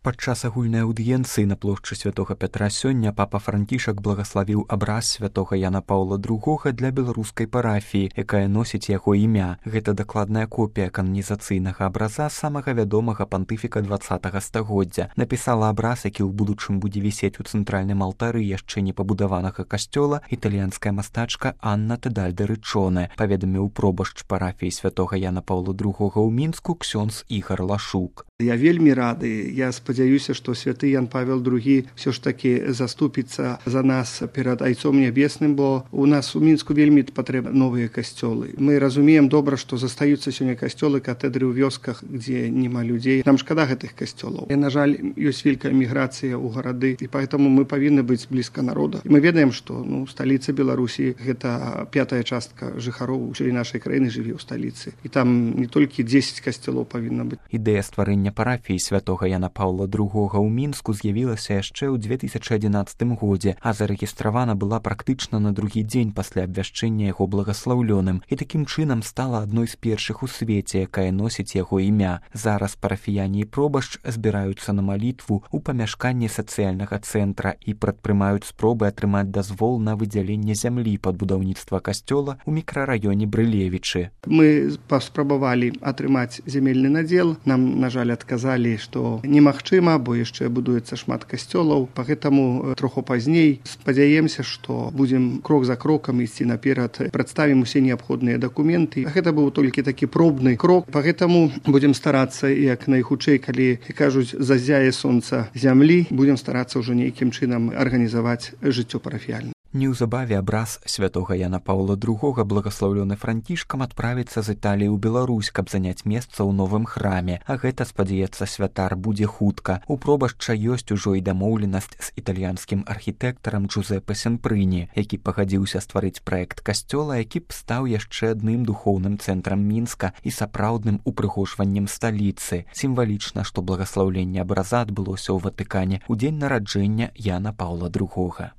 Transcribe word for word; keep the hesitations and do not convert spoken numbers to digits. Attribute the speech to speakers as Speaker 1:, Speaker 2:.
Speaker 1: Падчас агульнай аўдыенцыі на плошчы святога Пятра сёння папа Францішак благаславіў абраз святога Яна Паўла другога для беларускай парафіі, якая носіць яго імя. Гэта дакладная копія кананізацыйнага абраза самага вядомага пантыфіка дваццатага стагоддзя. Напісала абраз, які ў будучым будзе вісець у цэнтральным алтары яшчэ не пабудаванага касцёла, італьянская мастачка Анна Тедальдэ-Рычонэ, паведаміў пробашч парафіі святога Яна Паўла другога ў Мінску ксёндз Ігар Лашук.
Speaker 2: Я вельмі рады. Я спадзяюся, што святы Ян Павел другі ўсё ж такі заступіцца за нас перад Айцом Нябесным, бо у нас у Мінску вельмі патрэбны новыя касцёлы. Мы разумеем добра, што застаюцца сёння касцёлы, катэдры ў вёсках, дзе няма людзей. Нам шкада гэтых касцёлаў. І, на жаль, ёсць вялікая міграцыя ў гарады, і поэтому мы павінны быць блізка народа. І мы ведаем, што ну, сталіца Беларусі гэта пятая частка жыхароў усёй нашай краіны жыве ў сталіцы. І там не толькі дзесяць касцёлаў павінна быць.
Speaker 1: Ідэя стварэння парафіі святога Яна Паўла другога ў Мінску з'явілася яшчэ ў дзве тысячы адзінаццатым годзе, а зарэгістравана была практычна на другі дзень пасля абвяшчэння яго благаслаўлёным і такім чынам стала адной з першых у свеце, якая носіць яго імя. Зараз парафіяне і пробашч збіраюцца на малітву ў памяшканні сацыяльнага цэнтра і прадпрымаюць спробы атрымаць дазвол на выдзяленне зямлі пад будаўніцтва касцёла ў мікрараёне Брылевічы.
Speaker 2: Мы паспрабавалі атрымаць зямельны надзел. Нам, на жаль, адказалі, што немагчыма, бо яшчэ будуецца шмат касцёлаў. Пагэтаму троху пазней спадзяемся, што будзем крок за крокам ісці наперад, прадставім усе неабходныя дакументы. Гэта быў толькі такі пробны крок. Пагэтаму будзем старацца як найхутчэй, калі кажуць зазяе сонца зямлі, будзем старацца ўжо нейкім чынам арганізаваць жыццё парафіяльна.
Speaker 1: Неўзабаве абраз святога Яна Паўла другога, благаслаўлёны Францішкам, адправіцца з Італіі ў Беларусь, каб заняць месца ў новым храме. А гэта, спадзяецца святар, будзе хутка. У пробашча ёсць ужо і дамоўленасць з італьянскім архітэктарам Джузеппе Сенпрыні, які пагадзіўся стварыць праект касцёла, які б стаў яшчэ адным духоўным цэнтрам Мінска і сапраўдным упрыгожваннем сталіцы. Сімвалічна, што благаслаўленне абраза адбылося ў Ватыкане ў дзень нараджэння Яна Паўла другога.